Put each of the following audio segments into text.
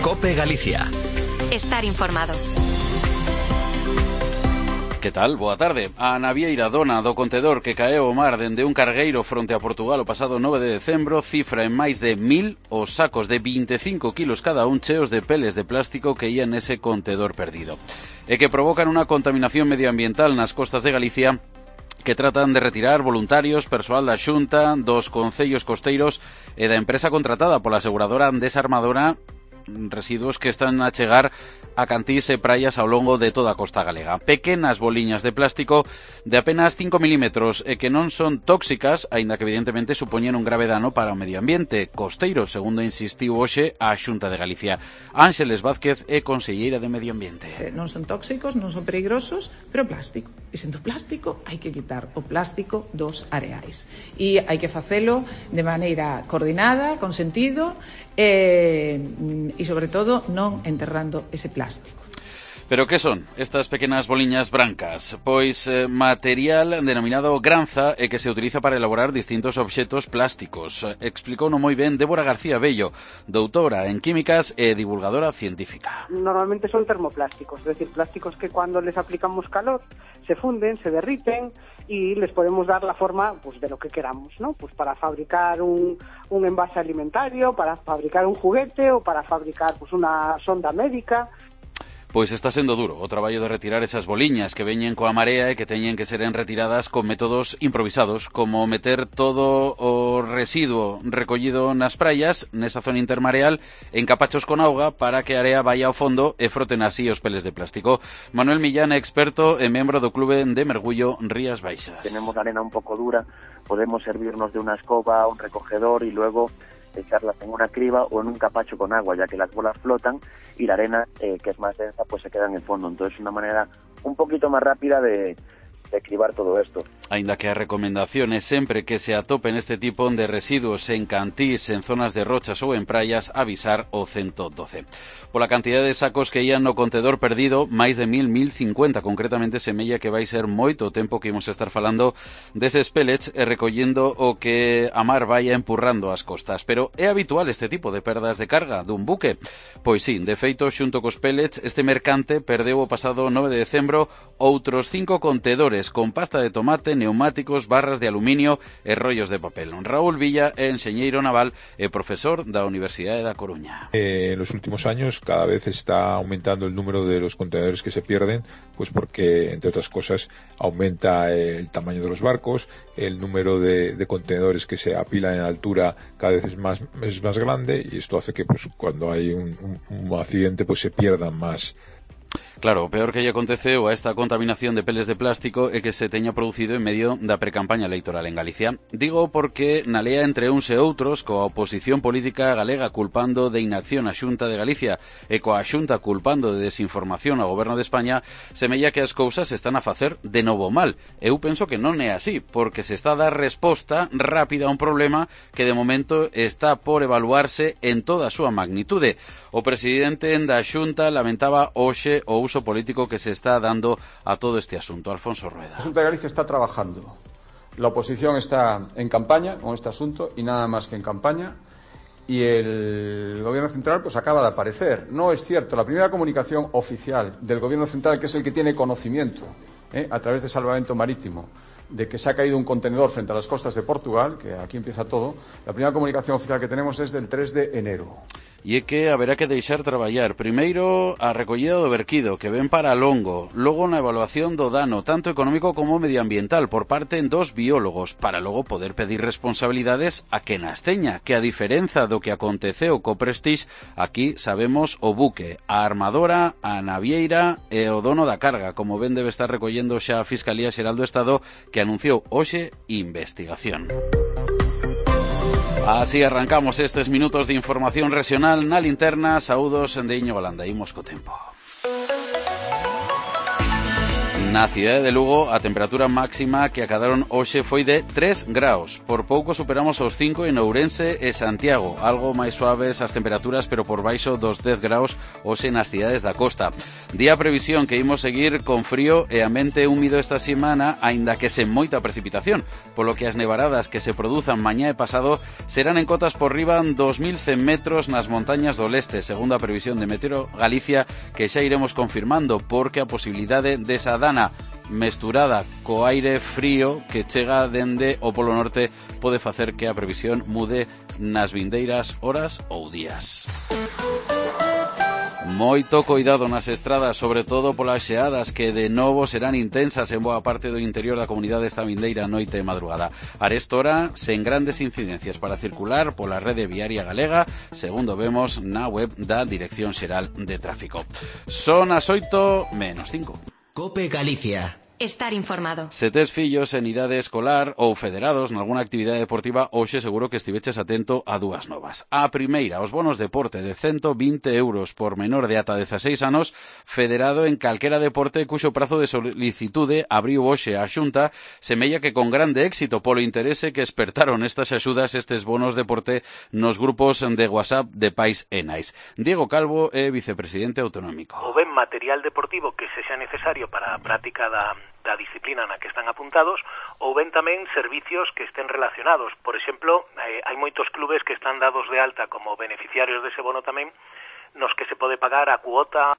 COPE Galicia. Estar informado. Que tal? Boa tarde. A navieira dona do contedor que caeu ao mar dende un cargueiro fronte a Portugal o pasado 9 de decembro cifra en máis de 1000 os sacos de 25 kilos cada un cheos de peles de plástico que ían nese contedor perdido e que provocan unha contaminación medioambiental nas costas de Galicia que tratan de retirar voluntarios, persoal da Xunta, dos concellos costeiros e da empresa contratada pola aseguradora Desarmadora, residuos que están a chegar a cantís e praias ao longo de toda a costa galega. Pequenas boliñas de plástico de apenas 5 milímetros e que non son tóxicas, aínda que evidentemente supoñen un grave dano para o medio ambiente costeiro, segundo insistiu hoxe a Xunta de Galicia. Ángeles Vázquez é conselleira de Medio Ambiente. Non son tóxicos, non son peligrosos, pero plástico. E sendo plástico, hai que quitar o plástico dos areais. E hai que facelo de maneira coordinada, con sentido, e sobre todo non enterrando ese plástico. Pero que son estas pequenas boliñas brancas? Pois material denominado granza e que se utiliza para elaborar distintos obxetos plásticos. Explicouno moi ben Débora García Bello, doutora en químicas e divulgadora científica. Normalmente son termoplásticos, es decir, plásticos que cuando les aplicamos calor se funden, se derriten y les podemos dar la forma pues de lo que queramos, ¿no? Pues para fabricar un envase alimentario, para fabricar un juguete o para fabricar pues una sonda médica. Pois está sendo duro o traballo de retirar esas boliñas que veñen coa marea e que teñen que seren retiradas con métodos improvisados, como meter todo o residuo recollido nas praias, nesa zona intermareal, en capachos con auga para que a area vaya ao fondo e froten así os peles de plástico. Manuel Millán é experto e membro do Clube de Mergullo Rías Baixas. Tenemos la arena un poco dura, podemos servirnos de una escoba, un recogedor y luego echarlas en una criba o en un capacho con agua, ya que las bolas flotan y la arena, que es más densa, pues se queda en el fondo. Entonces, una manera un poquito más rápida de cribar todo esto. Aínda que a recomendación é sempre que se atopen este tipo de residuos en cantís, en zonas de rochas ou en praias, avisar o 112. Pola cantidad de sacos que ían no contedor perdido, máis de 1050, concretamente semella que vai ser moito tempo que imos estar falando deses pellets e recollendo o que a mar vai empurrando as costas. Pero é habitual este tipo de perdas de carga dun buque? Pois sí, de feito, xunto cos pellets, este mercante perdeu o pasado 9 de decembro outros 5 contedores con pasta de tomate, neumáticos, barras de aluminio e rollos de papel. Raúl Villa é enxeñeiro naval e profesor da Universidade da Coruña. En los últimos años cada vez está aumentando el número de los contenedores que se pierden, pues porque, entre otras cosas, aumenta el tamaño de los barcos, el número de contenedores que se apilan en altura cada vez es más grande, y esto hace que pues cuando hay un accidente pues se pierdan más. Claro, o peor que lle aconteceu a esta contaminación de peles de plástico é que se teña producido en medio da precampaña electoral en Galicia. Digo porque na lea entre uns e outros, coa oposición política galega culpando de inacción a Xunta de Galicia e coa Xunta culpando de desinformación ao Goberno de España, semella que as cousas se están a facer de novo mal. Eu penso que non é así, porque se está a dar resposta rápida a un problema que de momento está por evaluarse en toda a súa magnitude. O presidente da Xunta lamentaba hoxe o uso político que se está dando a todo este asunto. Alfonso Rueda. La Xunta de Galicia está trabajando. La oposición está en campaña con este asunto y nada más que en campaña. Y el Gobierno Central pues acaba de aparecer. No es cierto. La primera comunicación oficial del Gobierno Central, que es el que tiene conocimiento a través de Salvamento Marítimo, de que se ha caído un contenedor frente a las costas de Portugal, que aquí empieza todo, la primera comunicación oficial que tenemos es del 3 de enero. E é que haberá que deixar traballar primeiro a recollida do verquido, que ven para longo, logo na evaluación do dano, tanto económico como medioambiental, por parte dos biólogos, para logo poder pedir responsabilidades a quen as teña, que a diferenza do que aconteceu co Prestige, aquí sabemos o buque, a armadora, a navieira e o dono da carga, como ben debe estar recollendo xa a Fiscalía Xeral do Estado, que anunciou hoxe investigación. Así arrancamos estes minutos de información regional na linterna. Saúdos de Íñigo Landa. Imos co tempo. Na cidade de Lugo, a temperatura máxima que acadaron hoxe foi de 3 graus. Por pouco superamos os 5 en Ourense e Santiago. Algo máis suaves as temperaturas, pero por baixo dos 10 graus hoxe nas cidades da costa. Día previsión que imos seguir con frío e ambiente húmido esta semana, aínda que sen moita precipitación, polo que as nevaradas que se produzan mañá e pasado serán en cotas por riba dos 1100 metros nas montañas do leste, segundo a previsión de Meteo Galicia, que xa iremos confirmando, porque a posibilidade desa dana mesturada co aire frío que chega dende o Polo Norte pode facer que a previsión mude nas vindeiras horas ou días. Moito coidado nas estradas, sobre todo polas xeadas que de novo serán intensas en boa parte do interior da comunidade esta vindeira noite e madrugada. Arestora, sen grandes incidencias para circular pola rede viaria galega, segundo vemos na web da Dirección Xeral de Tráfico. Son as 8:05. COPE Galicia. Estar informado. Se tes fillos en idade escolar ou federados nalgúna actividade deportiva, hoxe seguro que estiveches atento a dúas novas. A primeira, os bonos deporte de 120 euros por menor de ata 16 anos, federado en calquera deporte cuxo prazo de solicitude abriu hoxe a Xunta, semella que con grande éxito polo interese que espertaron estas axudas, estes bonos deporte nos grupos de WhatsApp de pais e nais. Diego Calvo é vicepresidente autonómico. O ben material deportivo que sexa necesario para a práctica da disciplina na que están apuntados, ou ben tamén servicios que estén relacionados. Por exemplo, hai moitos clubes que están dados de alta como beneficiarios dese bono tamén, nos que se pode pagar a cuota.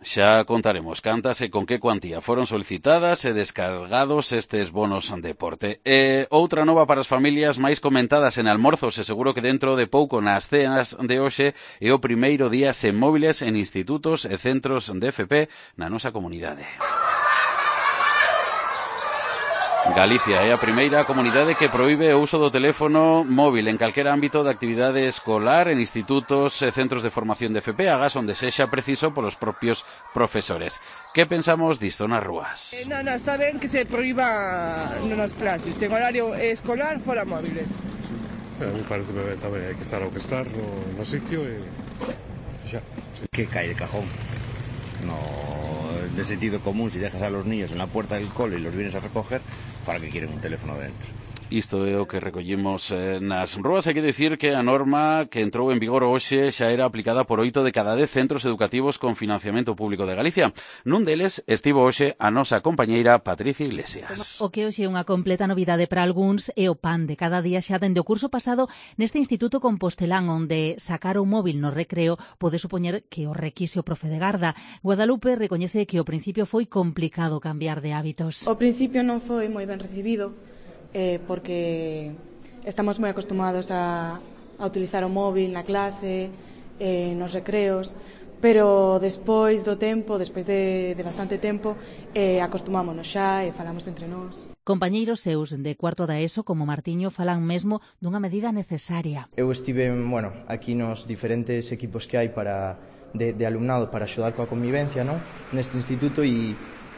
Xa contaremos cantas e con que cuantía foron solicitadas e descargados estes bonos deporte. E outra nova para as familias máis comentadas en almorzos, e seguro que dentro de pouco nas cenas de hoxe é o primeiro día sen móviles en institutos e centros de FP na nosa comunidade. Galicia é a primeira comunidade que proíbe o uso do teléfono móvil en calquera ámbito de actividade escolar en institutos e centros de formación de FP, agas onde sexa preciso polos propios profesores. Que pensamos disto nas rúas? Está ben que se proíba nas clases, en horario escolar, fora móviles. Me parece ben tamén, hai que estar ao que estar no sitio e xa. Que cae de cajón. No, de sentido común, si dejas a los niños en la puerta del cole y los vienes a recoger, ¿para qué quieren un teléfono dentro? Isto é o que recollimos nas rúas. Hai que dicir que a norma que entrou en vigor hoxe xa era aplicada por 8 de cada 10 centros educativos con financiamento público de Galicia. Nun deles estivo hoxe a nosa compañeira Patricia Iglesias. O que hoxe é unha completa novidade para algúns é o pan de cada día xa dende o curso pasado neste Instituto Compostelán, onde sacar o móvil no recreo pode supoñer que o requise o profe de garda. Guadalupe recoñece que ao principio foi complicado cambiar de hábitos. Ao principio non foi moi ben recibido, porque estamos moi acostumados a utilizar o móvil na clase, nos recreos, pero despois do tempo, despois de bastante tempo, acostumámonos xa e falamos entre nós. Compañeiros seus de cuarto da ESO, como Martiño, falan mesmo dunha medida necesaria. Eu estive, aquí nos diferentes equipos que hai de alumnado para axudar coa convivencia, non? Neste instituto e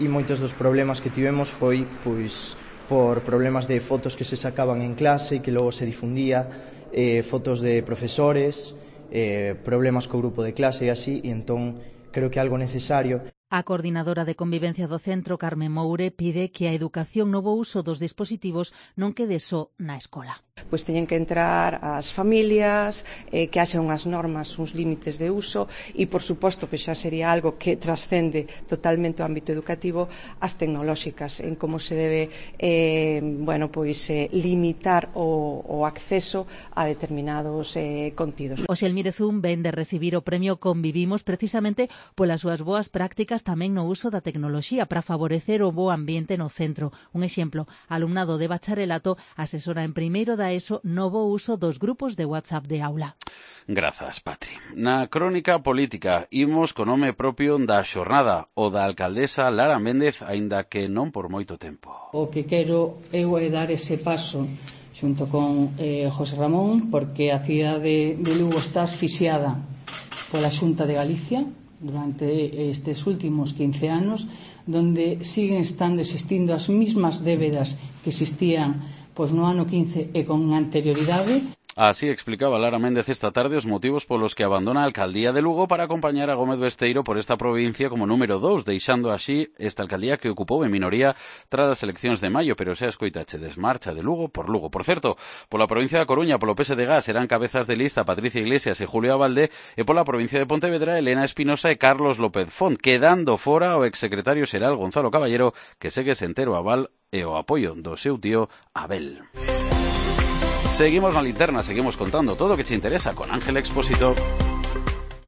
moitos dos problemas que tivemos foi, pois, por problemas de fotos que se sacaban en clase e que logo se difundía, fotos de profesores, problemas co grupo de clase e así, e entón creo que é algo necesario. A coordinadora de convivencia do centro, Carmen Moure, pide que a educación no bo uso dos dispositivos non quede só na escola. Pois teñen que entrar as familias, que haxa unhas normas, uns límites de uso e, por suposto, que xa sería algo que trascende totalmente o ámbito educativo, as tecnolóxicas, en como se debe limitar o acceso a determinados contidos. O Xelmirezún ven de recibir o premio Convivimos precisamente polas súas boas prácticas tamén no uso da tecnoloxía para favorecer o bo ambiente no centro. Un exemplo, alumnado de bacharelato asesora en primeiro da ESO no bo uso dos grupos de WhatsApp de aula. Grazas, Patri. Na crónica política imos co nome propio da xornada, o da alcaldesa Lara Méndez, aínda que non por moito tempo. O que quero eu é dar ese paso xunto con José Ramón, porque a cidade de Lugo está asfixiada pola Xunta de Galicia durante estes últimos 15 anos, donde siguen existindo as mismas débedas que existían no ano 15 e con anterioridade. Así explicaba Lara Méndez esta tarde os motivos polos que abandona a alcaldía de Lugo para acompañar a Gómez Besteiro por esta provincia como número 2, deixando así esta alcaldía que ocupou en minoría tras as eleccións de maio, pero xa escoitache desmarcha de Lugo. Por certo, pola provincia da Coruña, polo PSDG serán cabezas de lista Patricia Iglesias e Julio Abalde, e pola provincia de Pontevedra Elena Espinosa e Carlos López Font, quedando fora o exsecretario xeral Gonzalo Caballero, que segue sen ter o aval e o apoio do seu tío Abel. Seguimos na linterna, seguimos contando todo o que te interesa con Ángel Expósito.